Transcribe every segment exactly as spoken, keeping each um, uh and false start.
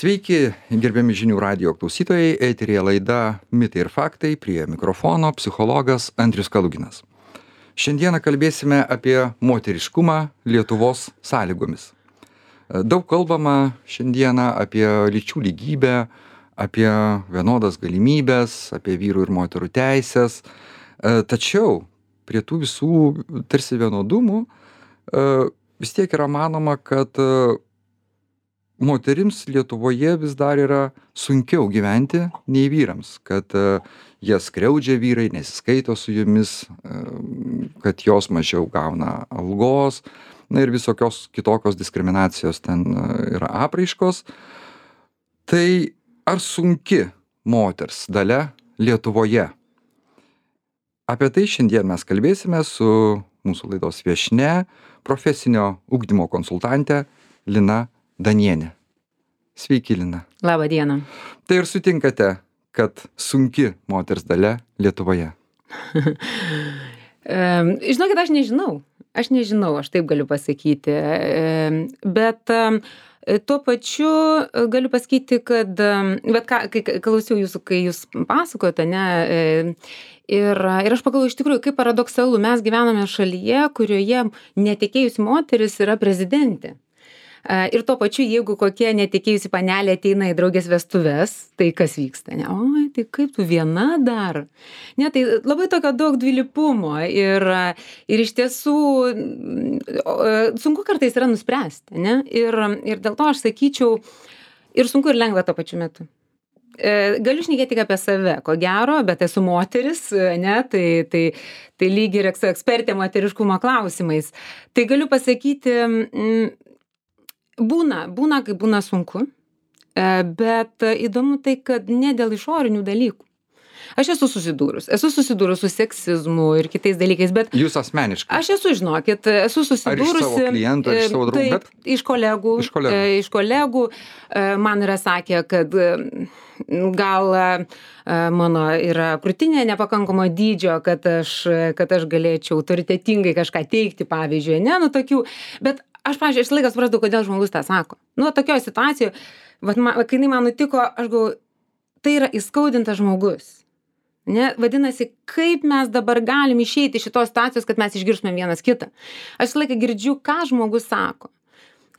Sveiki, gerbiami žinių radijo klausytojai, eterėje laida Mitai ir faktai, prie mikrofono psichologas Andrius Kaluginas. Šiandieną kalbėsime apie moteriškumą Lietuvos sąlygomis. Daug kalbama šiandieną apie lyčių lygybę, apie vienodas galimybės, apie vyrų ir moterų teisės. Tačiau prie tų visų tarsi vienodumų vis tiek yra manoma, kad moterims Lietuvoje vis dar yra sunkiau gyventi nei vyrams, kad jie skriaudžia vyrai, nesiskaito su jomis, kad jos mažiau gauna algos, na ir visokios kitokios diskriminacijos ten yra apraiškos. Tai ar sunki moters dalia Lietuvoje? Apie tai šiandien mes kalbėsime su mūsų laidos viešnia, profesinio ugdymo konsultante Lina Danienė. Sveiki, Lina. Labą dieną. Tai ir sutinkate, kad sunki moters dalia Lietuvoje? Žinokit, aš nežinau. Aš nežinau, aš taip galiu pasakyti. Bet tuo pačiu galiu pasakyti, kad, bet ką, kai klausiau jūsų, kai jūs pasakojate, ne, ir, ir aš pagalvoju, iš tikrųjų, kaip paradoksalu, mes gyvename šalyje, kurioje netekėjusi moteris yra prezidentė. Ir tuo pačiu, jeigu kokia netekėjusi panelė ateina į draugės vestuves, tai kas vyksta? Ne? Oi, tai kaip tu viena dar? Ne, tai labai tokio daug dvilypumo ir, ir iš tiesų sunku kartais yra nuspręsti. Ne? Ir, ir dėl to aš sakyčiau, ir sunku ir lengva tuo pačiu metu. Galiu šnekėti tik apie save, ko gero, bet esu moteris, ne, tai, tai, tai lyg ir esu ekspertė moteriškumo klausimais. Tai galiu pasakyti, Būna, būna, kai būna sunku, bet įdomu tai, kad ne dėl išorinių dalykų. Aš esu susidūrus, esu susidūrus su seksizmu ir kitais dalykais, bet... Jūs asmeniškai? Aš esu, žinokit, esu susidūrusi... Ar iš savo klientų, ar iš savo draugų? Taip, bet... iš kolegų. Iš kolegų. Iš kolegų man yra sakę, kad gal mano yra krūtinė nepakankamo dydžio, kad aš, kad aš galėčiau autoritetingai kažką teikti, pavyzdžiui, ne, nu tokių, bet aš, pavyzdžiui, aš laikas suprasdavau, kodėl žmogus tą sako. Nu, tokioje situacijoje, vat, man, kai jinai man nutiko, aš galvoju, tai yra įskaudintas žmogus. Ne? Vadinasi, kaip mes dabar galim išeiti iš šitos situacijos, kad mes išgirstumėm vienas kitą. Aš visą laiką girdžiu, ką žmogus sako.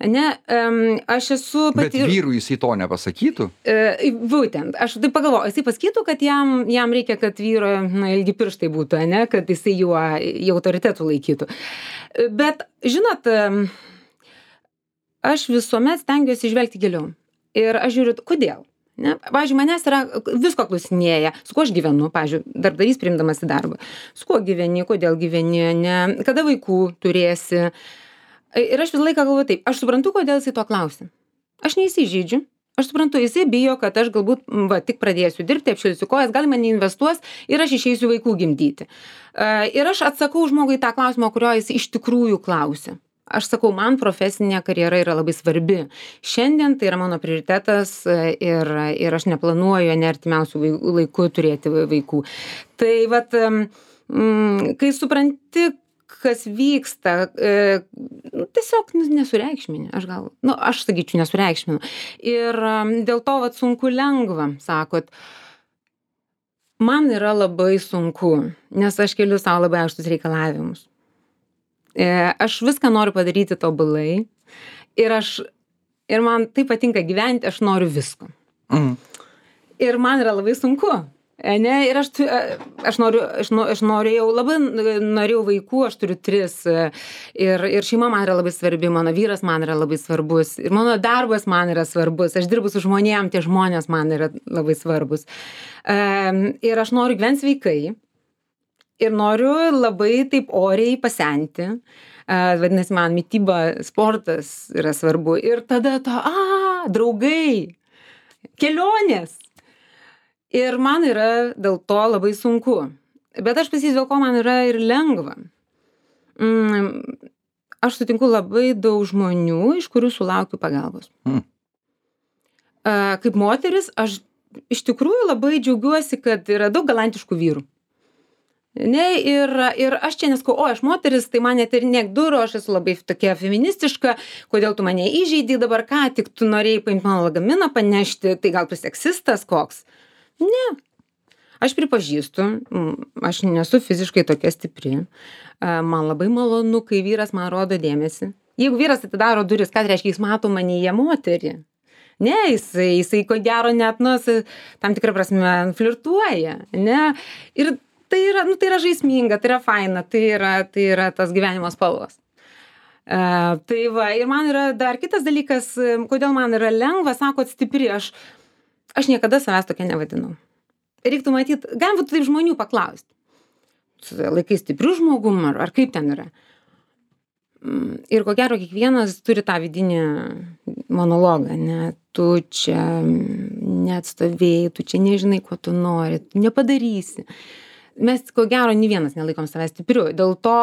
Ne, um, aš esu pati... Bet vyrui jisai to nepasakytų? Uh, būtent, aš taip pagalvoju, jisai pasakytų, kad jam, jam reikia, kad vyro na, ilgi pirštai būtų, ne? Kad jisai juo, juo autoritetų laikytų. Bet, žinot, um, aš visuomet stengiuosi žvelgti giliau. Ir aš žiūriu, kodėl. Ne? Pavyzdžiui, manęs yra visko klausinėja, su kuo aš gyvenu, pavyzdžiui, darbdavys priimdamas į darbą. Su kuo gyveni, kodėl gyveni, ne? Kada vaikų turėsi. Ir aš visą laiką galvoju taip, aš suprantu, kodėl jisai to klausia. Aš neįsižeidžiu. Aš suprantu, jisai bijo, kad aš galbūt va, tik pradėsiu dirbti, apšilsiu kojas, gal mane investuos ir aš išeisiu vaikų gimdyti. Ir aš atsakau žmogui tą klausimą, kurio jis iš tikrųjų klausia. Aš sakau, man profesinė karjera yra labai svarbi. Šiandien tai yra mano prioritetas ir, ir aš neplanuoju ne artimiausių laikų turėti vaikų. Tai vat, kai supranti, kas vyksta, tiesiog nesureikšmini, aš gal, nu, aš sakyčiau, nesureikšminu. Ir dėl to vat sunku lengva, sakot, man yra labai sunku, nes aš keliu savo labai aukštus reikalavimus. Aš viską noriu padaryti tobulai ir aš, ir man taip patinka gyventi, aš noriu visko. Mm. Ir man yra labai sunku, ne, ir aš, aš noriu, aš, aš norėjau, labai norėjau vaikų, aš turiu tris ir, ir šeima man yra labai svarbi, mano vyras man yra labai svarbus ir mano darbas man yra svarbus, aš dirbu su žmonėm, tie žmonės man yra labai svarbus. Ir aš noriu gyventi sveikai. Ir noriu labai taip oriai pasenti. Vadinasi, man mityba, sportas yra svarbu. Ir tada to, a, draugai, kelionės. Ir man yra dėl to labai sunku. Bet aš pasakysiu, dėl ko man yra ir lengva. Aš sutinku labai daug žmonių, iš kurių sulaukiu pagalbos. Mm. Kaip moteris, aš iš tikrųjų labai džiaugiuosi, kad yra daug galantiškų vyrų. Ne, ir, ir aš čia neskau, o aš moteris, tai man net ir niek durų, aš esu labai tokia feministiška, kodėl tu mane įžeidai dabar, ką tik tu norėjai paimti mano lagaminą panešti, tai gal tu seksistas koks? Ne. Aš pripažįstu, aš nesu fiziškai tokia stipri, man labai malonu, kai vyras man rodo dėmesį. Jeigu vyras atidaro duris, ką reiškia, jis mato manyje moterį. Ne, jisai, jisai ko gero net, nu, tam tikrą prasme flirtuoja, ne. Ir tai yra, nu, tai yra žaisminga, tai yra faina, tai yra, tai yra tas gyvenimo spalvos. Uh, tai va, ir man yra dar kitas dalykas, kodėl man yra lengva, sakot, stipri, aš, aš niekada savęs tokia nevadinau. Reiktų matyti, galim būtų taip žmonių paklausti. Laikai stiprių žmogum, ar, ar kaip ten yra. Ir ko gero, kiekvienas turi tą vidinį monologą, ne, tu čia neatstovėjai, tu čia nežinai, ko tu nori, tu nepadarysi. Mes, ko gero, nei vienas nelaikom savęs stipriu. Dėl to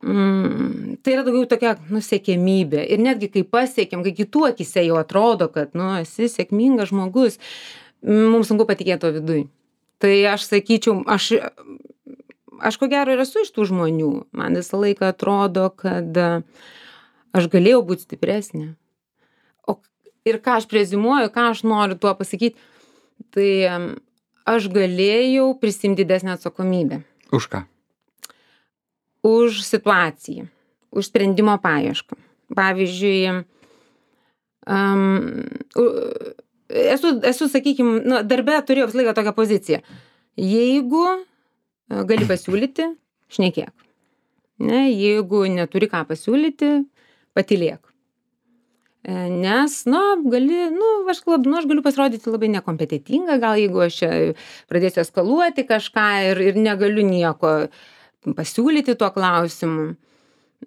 mm, tai yra daugiau tokia nusiekėmybė. Ir netgi kai pasiekėm, kai kitų akise jau atrodo, kad, nu, esi sėkmingas žmogus, mums sunku patikėti to viduj. Tai aš sakyčiau, aš, aš ko gero ir esu iš tų žmonių. Man visą laiką atrodo, kad aš galėjau būti stipresnė. O, ir ką aš prezimuoju, ką aš noriu tuo pasakyti, tai aš galėjau prisimti didesnę atsakomybę. Už ką? Už situaciją, už sprendimo paiešką. Pavyzdžiui, um, esu, esu sakykime, nu, darbe turėjau visą laiką tokią poziciją. Jeigu gali pasiūlyti, šnekėk. Ne, jeigu neturi ką pasiūlyti, patylėk. Nes, nu, gali, nu, aš, nu, aš galiu pasirodyti labai nekompetentinga, gal jeigu aš čia pradėsiu eskaluoti kažką ir, ir negaliu nieko pasiūlyti tuo klausimu.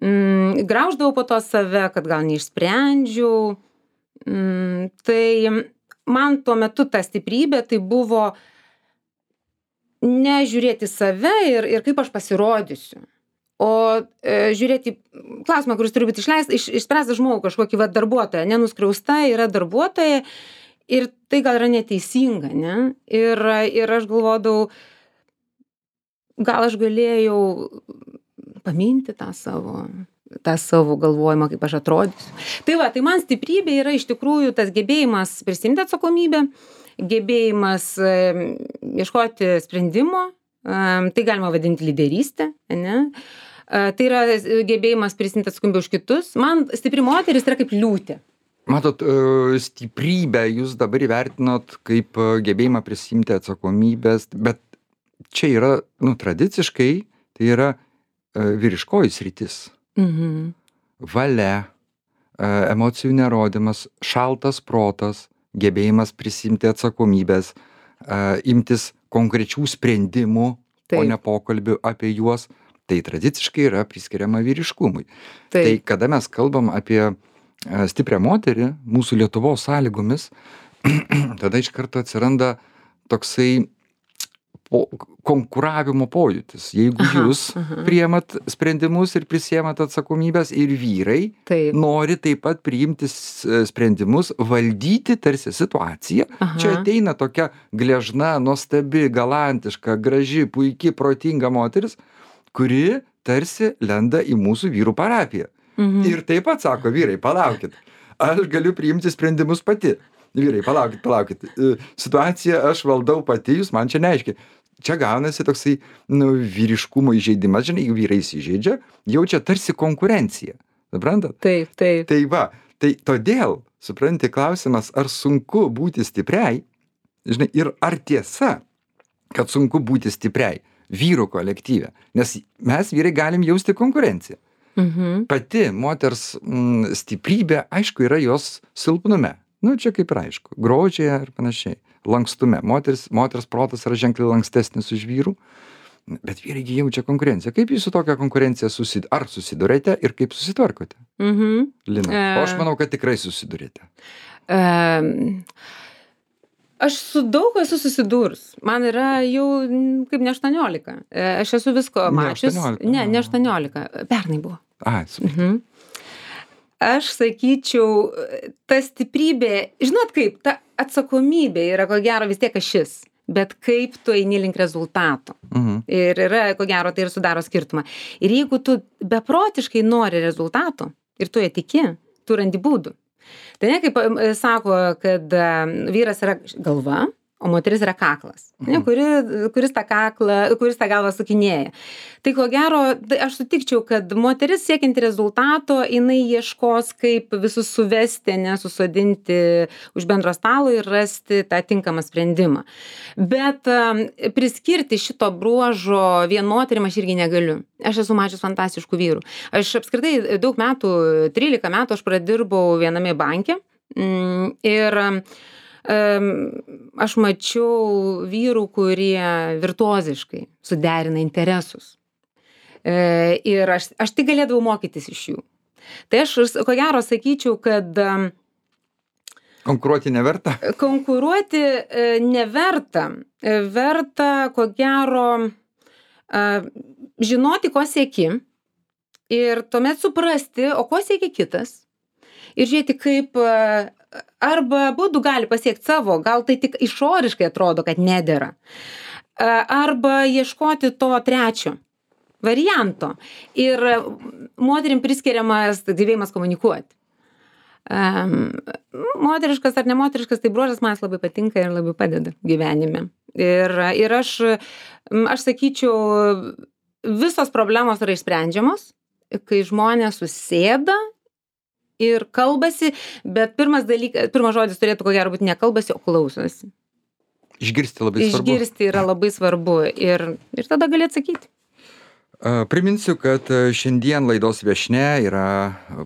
Mm, grauždavau po to save, kad gal neišsprendžiau. Mm, tai man tuo metu ta stiprybė tai buvo nežiūrėti save ir, ir kaip aš pasirodysiu. O e, žiūrėti klausimą, kuris turi būti išleistas, iš, išspręstas žmogų, kažkokį va, darbuotoją, nenuskriausta yra darbuotoja ir tai gal yra neteisinga, ne? Ir, ir aš galvodavau, gal aš galėjau paminti tą savo, tą savo galvojimą, kaip aš atrodysiu. Tai va, tai man stiprybė yra iš tikrųjų tas gebėjimas prisimti atsakomybę, gebėjimas e, ieškoti sprendimo, e, tai galima vadinti lyderystę, ne? Tai yra gebėjimas prisimti atsakomybę už kitus. Man stipri moteris yra kaip liūtė. Matot, stiprybę jūs dabar įvertinot kaip gebėjimą prisimti atsakomybės, bet čia yra, nu, tradiciškai, tai yra vyriškoji sritis. Mhm. Valia, emocijų nerodymas, šaltas protas, gebėjimas prisimti atsakomybės, imtis konkrečių sprendimų, Taip. O ne pokalbių apie juos. Tai tradiciškai yra priskiriama vyriškumui. Taip. Tai kada mes kalbam apie stiprią moterį mūsų Lietuvos sąlygomis, tada iš karto atsiranda toksai po, konkuravimo pojūtis. Jeigu aha, jūs aha. priimat sprendimus ir prisiemat atsakomybės ir vyrai taip. Nori taip pat priimti sprendimus, valdyti tarsi situaciją. Aha. Čia ateina tokia gležna, nuostabi, galantiška, graži, puiki, protinga moteris, kuri tarsi lenda į mūsų vyrų parapiją. Mhm. Ir taip pat sako, vyrai, palaukit, aš galiu priimti sprendimus pati. Vyrai, palaukit, palaukit, situaciją aš valdau pati, jūs man čia neaiškiai. Čia gaunasi toksai, nu, vyriškumo įžeidimas, žinai, jeigu vyrai įsižeidžia, jaučia tarsi konkurenciją. Suprantat? Taip, taip. Tai va, tai todėl, supranti, klausimas, ar sunku būti stipriai, žinai, ir ar tiesa, kad sunku būti stipriai vyrų kolektyve, nes mes vyrai galim jausti konkurenciją. Mhm. Pati moters m, stiprybė, aišku, yra jos silpnume. Nu, čia kaip ir aišku, grožėje ir panašiai, lankstume. Moters, moters protas yra ženkliai lankstesnis už vyrų, bet vyrai jaučia konkurenciją. Kaip jūs su tokia konkurencija susid... ar susidurėte ir kaip susitvarkote? Mhm. Lina, e... o aš manau, kad tikrai susidurėte. E... Aš su daug esu susidūrus. Man yra jau kaip ne aštuoniolika. Aš esu visko mačius. Ne, ne aštuoniolika. Pernai buvo. A, super. Mhm. Aš sakyčiau, ta stiprybė, žinot kaip, ta atsakomybė yra ko gero vis tiek ašis. bet kaip tu eini link rezultato. Mhm. Ir yra, ko gero, tai ir sudaro skirtumą. Ir jeigu tu beprotiškai nori rezultato ir tu ją tiki, tu randi būdų. Tai ne kaip e, sako, kad e, vyras yra galva, o moteris yra kaklas, ne, kuri, kuris, tą kaklą, kuris tą galvą sukinėja. Tai ko gero, tai aš sutikčiau, kad moteris siekianti rezultato, jinai ieškos, kaip visus suvesti, nesusodinti už bendro stalo ir rasti tą tinkamą sprendimą. Bet um, priskirti šito bruožo vien moterim aš irgi negaliu. Aš esu mačius fantastiškų vyrų. Aš apskritai daug metų, trylika metų aš pradirbau viename banke mm, ir aš mačiau vyrų, kurie virtuoziškai suderina interesus. Ir aš, aš tik galėdavau mokytis iš jų. Tai aš, ko gero, sakyčiau, kad konkuruoti neverta? Konkuruoti neverta. Verta, ko gero, žinoti, ko sieki ir tuomet suprasti, o ko sieki kitas. Ir žiūrėti, kaip arba būdų gali pasiekti savo, gal tai tik išoriškai atrodo, kad nedera. Arba ieškoti to trečio varianto. Ir moterim priskiriamas gebėjimas komunikuoti. Um, moteriškas ar nemoteriškas, tai bruožas man labai patinka ir labai padeda gyvenime. Ir, ir aš, aš sakyčiau, visos problemos yra išsprendžiamos, kai žmonės susėda ir kalbasi, bet pirmas dalykas, pirmas žodis turėtų ko gero būti ne kalbasi, o klausosi. Išgirsti labai svarbu. Išgirsti yra labai svarbu ir, ir tada gali atsakyti. Priminsiu, kad šiandien laidos viešnia yra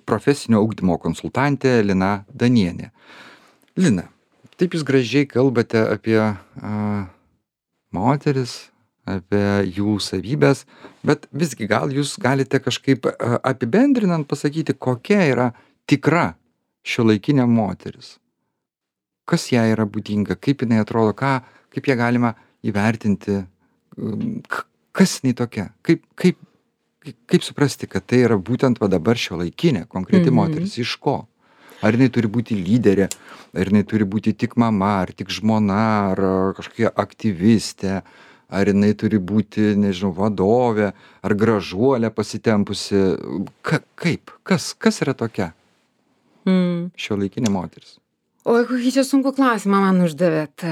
profesinio ugdymo konsultantė Lina Danienė. Lina, taip jūs gražiai kalbate apie a, moteris, apie jų savybės, bet visgi gal jūs galite kažkaip a, apibendrinant pasakyti, kokia yra tikra šiuolaikinė moteris. Kas jai yra būdinga, kaip jinai atrodo, ką, kaip ją galima įvertinti, kas jinai tokia, kaip, kaip, kaip suprasti, kad tai yra būtent va dabar šiuolaikinė, konkreti mm-hmm. moteris, iš ko? Ar jinai turi būti lyderė, ar jinai turi būti tik mama, ar tik žmona, ar kažkokia aktyvistė, ar jinai turi būti, nežinau, vadovė, ar gražuolė pasitempusi, Ka, kaip, kas, kas yra tokia? Mm. Šiuolaikinė moteris. O kokį čia sunku klausimą man uždavėt.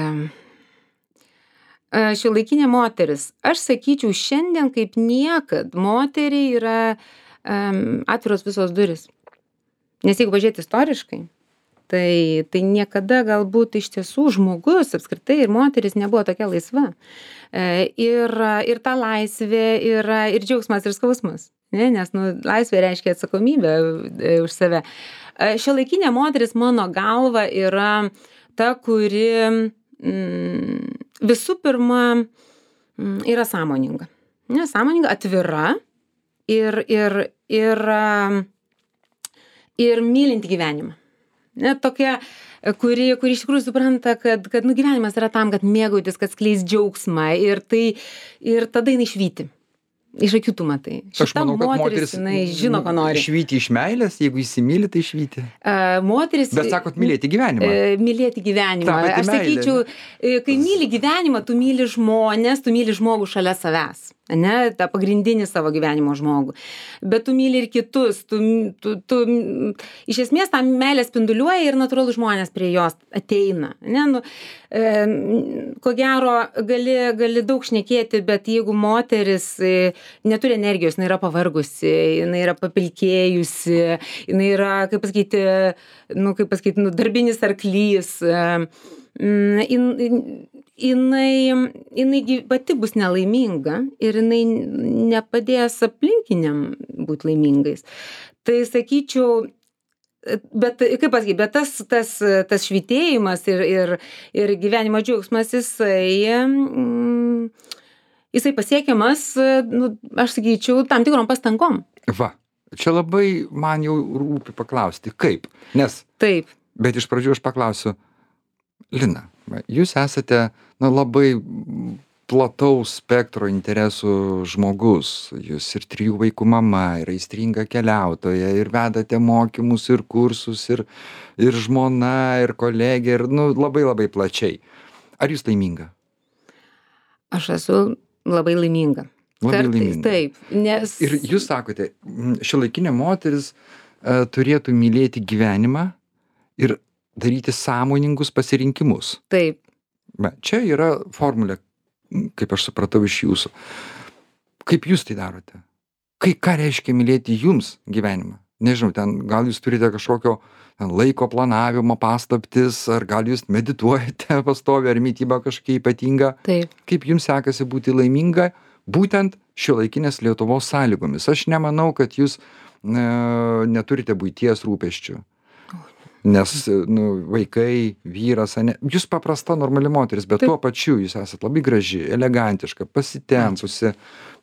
Šiuolaikinė moteris. Aš sakyčiau, šiandien kaip niekad moteriai yra um, atviros visos duris. Nes jeigu pažiūrėti istoriškai, tai, tai niekada galbūt iš tiesų žmogus apskritai ir moteris nebuvo tokia laisva. Ir, ir ta laisvė yra ir džiaugsmas, ir skausmas. Ne? Nes nu, laisvė reiškia atsakomybę už save. Šiuolaikinė moteris mano galva yra ta, kuri mm, visų pirma mm, yra sąmoninga. Ne, sąmoninga, atvira ir, ir, ir, ir mylinti gyvenimą. Ne, tokia, kuri, kuri iš tikrųjų supranta, kad, kad nu, gyvenimas yra tam, kad mėgautis, kad skleis džiaugsmą ir, tai, ir tada jinai švyti. Iš akių tu matai. Aš manau, kad moteris, jinai žino, ko nori. Švyti iš meilės, jeigu įsimyli, tai švyti. Uh, moteris... Bet sakot, mylėti gyvenimą. Uh, mylėti gyvenimą. Aš sakyčiau, uh, kai myli gyvenimą, tu myli žmonės, tu myli žmogų šalia savęs. Ne, tą pagrindinį savo gyvenimo žmogų. Bet tu myli ir kitus. Tu, tu, tu, iš esmės tą meilę spinduliuoja ir natūralu žmonės prie jos ateina. Ne, nu, e, ko gero, gali, gali daug šnekėti, bet jeigu moteris e, neturi energijos, jinai yra pavargusi, jinai yra papilkėjusi, jinai yra, kaip pasakyti, nu, kaip pasakyti, nu, darbinis arklys, e, in, in, jinai, jinai pati bus nelaiminga ir jinai nepadės aplinkiniam būti laimingais. Tai sakyčiau, bet kaip pasakyti, bet tas, tas, tas švytėjimas ir, ir, ir gyvenimo džiaugsmas, jisai, mm, jisai pasiekiamas, nu, aš sakyčiau, tam tikrom pastangom. Va, čia labai man jau rūpi paklausti, kaip, nes, taip. Bet iš pradžių aš paklausiu, Lina, jūs esate na, labai plataus spektro interesų žmogus. Jūs ir trijų vaikų mama, ir aistringa keliautoja, ir vedate mokymus, ir kursus, ir, ir žmona, ir kolegė, ir nu, labai labai plačiai. Ar jūs laiminga? Aš esu labai laiminga. Labai Kartais laiminga. taip, nes... Ir jūs sakote, šiuolaikinė moteris uh, turėtų mylėti gyvenimą ir daryti sąmoningus pasirinkimus. Taip. Va, čia yra formulė, kaip aš supratau iš jūsų. Kaip jūs tai darote? Kai, ką reiškia mylėti jums gyvenimą? Nežinau, ten gal jūs turite kažkokio ten, laiko planavimo paslaptis, ar gal jūs medituojate pastoviai, ar mityba kažkokia ypatinga. Taip. Kaip jums sekasi būti laiminga būtent šiuolaikinės Lietuvos sąlygomis? Aš nemanau, kad jūs e, neturite buities rūpesčių. Nes nu, vaikai, vyras, ne, jūs paprasta normali moteris, bet Taip. Tuo pačiu jūs esat labai graži, elegantiška, pasitempusi,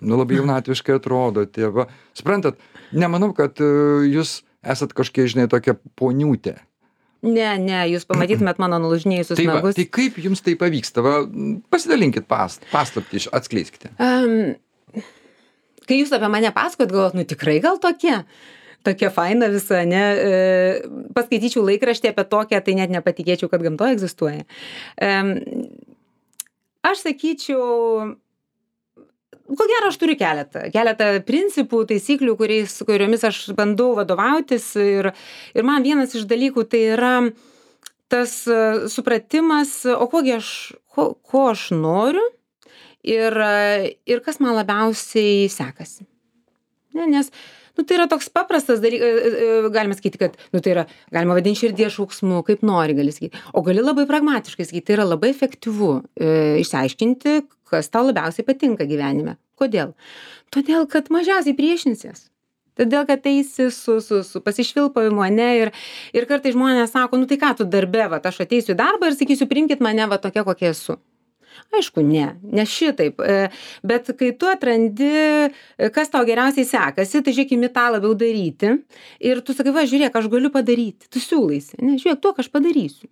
nu, labai jaunatviškai atrodote. Va. Suprantat, nemanau, kad uh, jūs esat kažkiek, žinai, tokia poniutė. Ne, ne, jūs pamatytumėt mano nulūžinėjusius tai va, nagus. Tai kaip jums tai pavyksta? Va, pasidalinkit past, paslaptį, atskleiskite. Um, kai jūs apie mane pasakot, galvot, nu tikrai gal tokie? Tokia faina visa, ne, e, paskaityčiau laikraštį apie tokią, tai net nepatikėčiau, kad gamtoje egzistuoja. E, aš sakyčiau, ko gero aš turiu keletą, keletą principų, taisyklių, kuriais, kuriomis aš bandau vadovautis ir, ir man vienas iš dalykų tai yra tas supratimas, o kogi aš, ko, ko aš noriu ir, ir kas man labiausiai sekasi. Ne, nes nu, tai yra toks paprastas dalykas, galima sakyti, kad, nu, tai yra, galima vadinti širdies šauksmu, kaip nori, gali sakyti. O gali labai pragmatiškai sakyti, tai yra labai efektyvu e, išsiaiškinti, kas tau labiausiai patinka gyvenime. Kodėl? Todėl, kad mažiausiai priešinsies. Todėl, kad eisi su, su, su pasišvilpavimu, ne, ir, ir kartais žmonės sako, nu tai ką tu darbe, va, aš ateisiu į darbą ir sakysiu, priimkit mane, va, tokia, kokia esu. Aišku, ne, ne šitaip, bet kai tu atrandi, kas tau geriausiai sekasi, tai žiūrėk, imi tą labiau daryti ir tu sakai, va, žiūrėk, aš galiu padaryti, tu siūlaisi, ne, žiūrėk, tuo, aš padarysiu.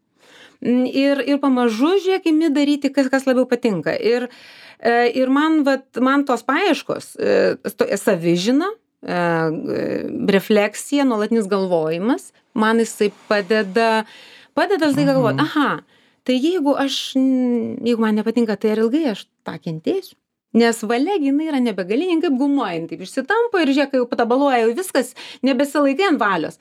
Ir, ir pamažu, žiūrėk, imi daryti, kas, kas labiau patinka. Ir, ir man, vat, man tos paieškos, savižina, refleksija, nuolatinis galvojimas, man jisai padeda, padeda tai galvoti, aha, tai jeigu aš, jeigu man nepatinka, tai ar ilgai aš tą kentėsiu? Nes valia, jinai yra nebegalinė, kaip gumuojant, taip išsitampo ir žiūrėk, kai jau patabaluoja, jau viskas, nebesilaikai ant valios.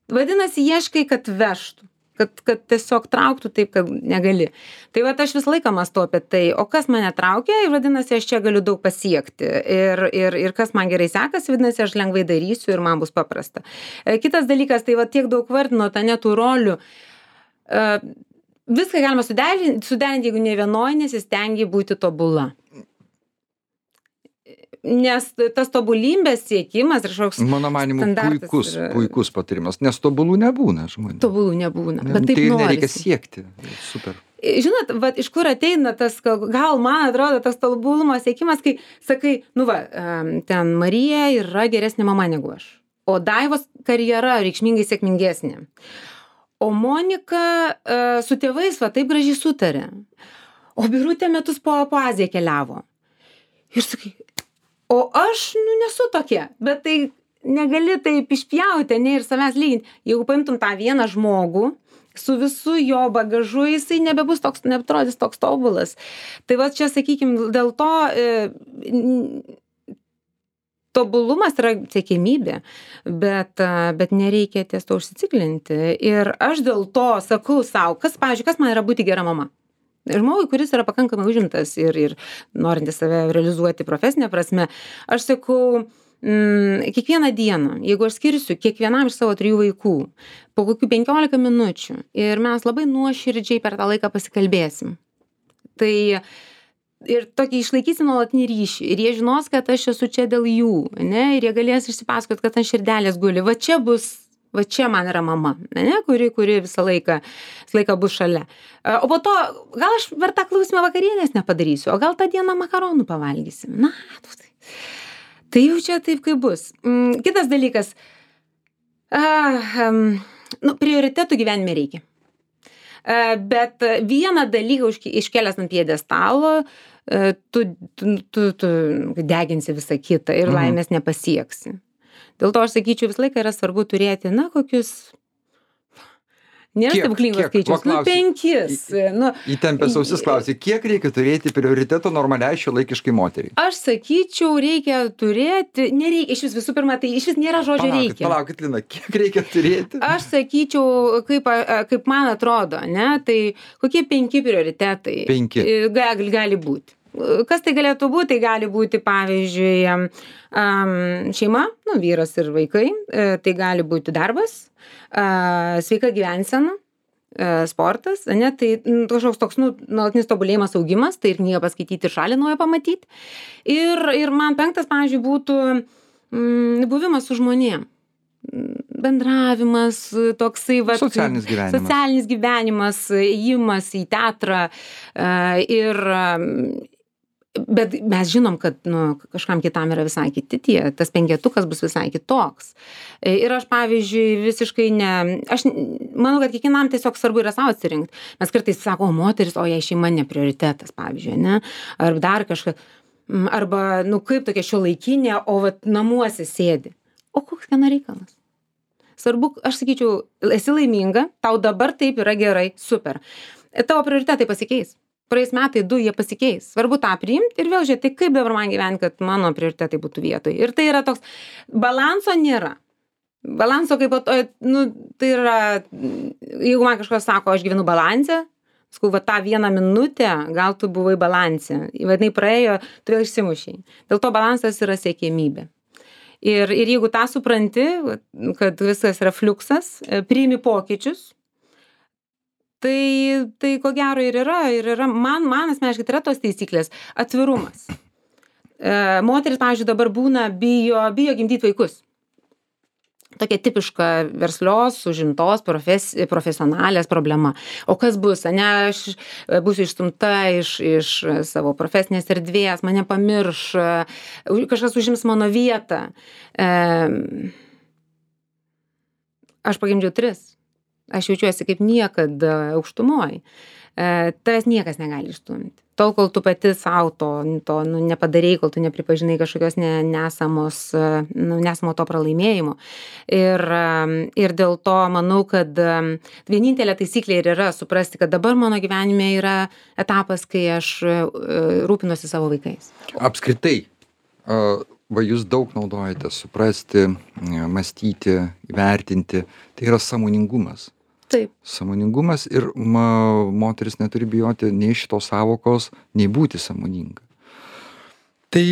Vadinasi, ieškai, kad vežtų, kad, kad tiesiog trauktų taip, kad negali. Tai va, aš visą laiką mąstau apie tai, o kas mane traukia, ir vadinasi, aš čia galiu daug pasiekti. Ir, ir, ir kas man gerai sekasi, vadinasi, aš lengvai darysiu ir man bus paprasta. Kitas dalykas, tai va, tiek daug vardino, ta netų rolių. Uh, Viską galima suderinti, suderinti, jeigu ne vienoj, nesistengi būti tobula. Nes tas tobulybės siekimas ir kažkoks mano manimu puikus, yra... puikus patarimas, nes tobulų nebūna žmonių. Tobulų nebūna, ne, bet taip tai norisi. Nereikia siekti. Super. Žinot, va, iš kur ateina tas, gal man atrodo, tas tobulumo siekimas, kai sakai, nu va, ten Marija yra geresnė mama negu aš, o Daivos karjera reikšmingai sėkmingesnė. O Monika uh, su tėvais va taip gražiai sutarė. O Birutė metus po, po Aziją keliavo. Ir sakai, o aš, nu, nesu tokia. Bet tai negali taip išpjauti, ne, ir savęs lyginti. Jeigu paimtum tą vieną žmogų, su visu jo bagažu, jisai nebebus toks, neatrodys toks tobulas. Tai va čia, sakykim, dėl to... E, Tobulumas yra siekiamybė, bet, bet nereikia ties to užsiciklinti. Ir aš dėl to sakau savo, kas, pavyzdžiui, kas man yra būti gera mama. Žmogui, kuris yra pakankamai užimtas ir, ir norintis save realizuoti profesinė prasme, aš sakau, mm, kiekvieną dieną, jeigu aš skirsiu kiekvienam iš savo trijų vaikų po kokių penkiolika minučių ir mes labai nuoširdžiai per tą laiką pasikalbėsim, tai ir tokį išlaikysi nuolatinį ryšį ir jie žinos, kad aš esu čia dėl jų, ne, ir jie galės išsipasakot, kad ant širdelės guli, va čia bus, va čia man yra mama, ne, kuri, kuri visą laiką, visą laiką bus šalia. O po to, gal aš per tą klausimą vakarienės nepadarysiu, o gal tą dieną makaronų pavalgysim. Na, tai, tai jau čia taip, kaip bus. Kitas dalykas, uh, um, nu, prioritetų gyvenime reikia. Bet vieną dalyką iškėlęs ant pjedestalo, tu, tu, tu, tu deginsi visą kitą ir Mhm. laimės nepasieksi. Dėl to aš sakyčiau, visą laiką yra svarbu turėti, na, kokius Nėra Kiek? stebuklingo Kiek? Va, skaičiaus. Nu, klausiu. penkis. Nu, Įtempęs ausis klausi, kiek reikia turėti prioriteto normaliai šiuolaikiškai moteriai? aš sakyčiau, reikia turėti, nereikia, iš vis visų pirma, tai iš vis nėra žodžio Palaukit, reikia. palaukit, Lina, kiek reikia turėti? Aš sakyčiau, kaip, a- kaip man atrodo, ne, tai kokie penki prioritetai Penki. e, gali, gali būti. Kas tai galėtų būti? Tai gali būti, pavyzdžiui, am, am, šeima, nu, vyras ir vaikai, e, tai gali būti darbas, a, sveika gyvensena, e, sportas, ne, tai mm, kažkoks toks, nu, nuolatinis tobulėjimas, augimas, tai ir knygą paskaityti, ir šalį naują pamatyti. Ir, ir man penktas, pavyzdžiui, būtų mm, buvimas su žmonėm. Bendravimas, toksai, va, Socialinis gyvenimas. socialinis gyvenimas, ėjimas į teatrą e, ir bet mes žinom, kad nu, kažkam kitam yra visai kiti tie, tas penketukas bus visai kitoks. Ir aš, pavyzdžiui, visiškai ne, aš manau, kad kiekvienam tiesiog svarbu yra savo atsirinkti. Mes kartais sako, o moteris, o jai šeima ne prioritetas, pavyzdžiui, ne? Ar dar kažką, arba, nu, kaip tokia šiuolaikinė, o vat namuose sėdi. O koks kieno reikalas? Svarbu, aš sakyčiau, esi laiminga, tau dabar taip yra gerai, super. Tavo prioritetai pasikeis. Praeis metai, du, jie pasikeis. Svarbu tą priimti ir vėl žiūrėti, kaip dabar man gyventi, kad mano prioritetai būtų vietoj. Ir tai yra toks, balanso nėra. Balanso kaip, nu, tai yra, jeigu man kažkas sako, aš gyvenu balansę, sakau, va tą vieną minutę, gal tu buvai balansė, vadinai praėjo, tu vėl išsimušiai. Dėl to balansas yra siekiamybė. Ir, ir jeigu tą supranti, kad viskas yra fliuksas, priimi pokyčius, tai, tai ko gero ir yra, ir yra, man, man asmeniškai, tai yra tos taisyklės, atvirumas. E, moteris, pavyzdžiui, dabar būna bijo, bijo gimdyti vaikus. Tokia tipiška verslios, užimtos, profes, profesionalės problema. O kas bus, ne, aš būsiu išstumta iš, iš savo profesinės erdvės, mane pamirš, kažkas užims mano vietą. E, aš pagimdžiau tris. Aš jaučiuosi kaip niekad aukštumoj. E, tavęs niekas negali išstumti. Tol, kol tu pati savo to, to nu, nepadarei, kol tu nepripažinai kažkokios ne, nesamos, nu, nesamo to pralaimėjimo. Ir, ir dėl to manau, kad vienintelė taisyklė ir yra suprasti, kad dabar mano gyvenime yra etapas, kai aš rūpinuosi savo vaikais. Apskritai, va jūs daug naudojate suprasti, mąstyti, įvertinti, tai yra sąmoningumas. Taip. Sąmoningumas ir ma, moteris neturi bijoti nei šitos savokos, nei būti sąmoninga. Tai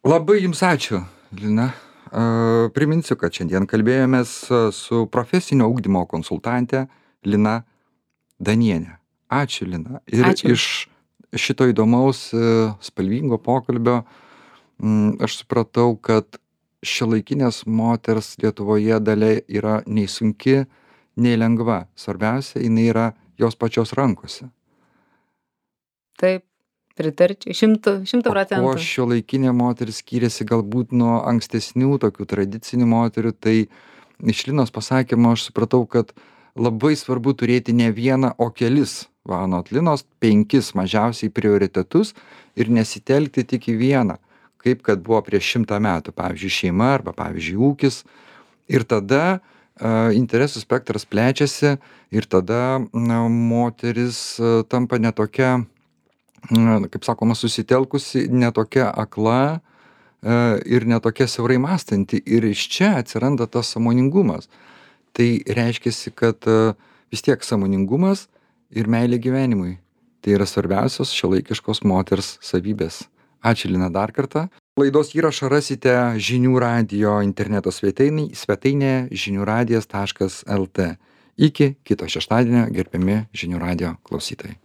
labai jums ačiū, Lina. Uh, priminsiu, kad šiandien kalbėjomės su profesinio ugdymo konsultante Lina Danienė. Ačiū, Lina. Ir ačiū. Iš šito įdomaus, uh, spalvingo pokalbio um, aš supratau, kad šiuolaikinės moters Lietuvoje dalia yra nei sunki, nei lengva. Svarbiausia, jinai yra jos pačios rankose. Taip, pritarčiau, šimtų, šimtų procentų. O šiuolaikinė moteris skiriasi galbūt nuo ankstesnių tokių tradicinių moterių, tai iš Linos pasakymo aš supratau, kad labai svarbu turėti ne vieną, o kelis, va, anot Linos, penkis mažiausiai prioritetus ir nesitelkti tik į vieną, kaip kad buvo prieš šimtą metų, pavyzdžiui, šeima arba, pavyzdžiui, ūkis. Ir tada interesų spektras plečiasi ir tada na, moteris tampa netokia, kaip sakoma, susitelkusi, netokia akla ir netokia siaurai mąstanti. Ir iš čia atsiranda tas sąmoningumas. Tai reiškia, kad vis tiek sąmoningumas ir meilė gyvenimui. Tai yra svarbiausios šiuolaikiškos moters savybės. Ačiū, Lina, dar kartą. Laidos įrašą rasite žinių radijo interneto svetainėje, svetainėje žinių radijas taškas lt. Iki kito šeštadienio, gerbiami žinių radijo klausytojai.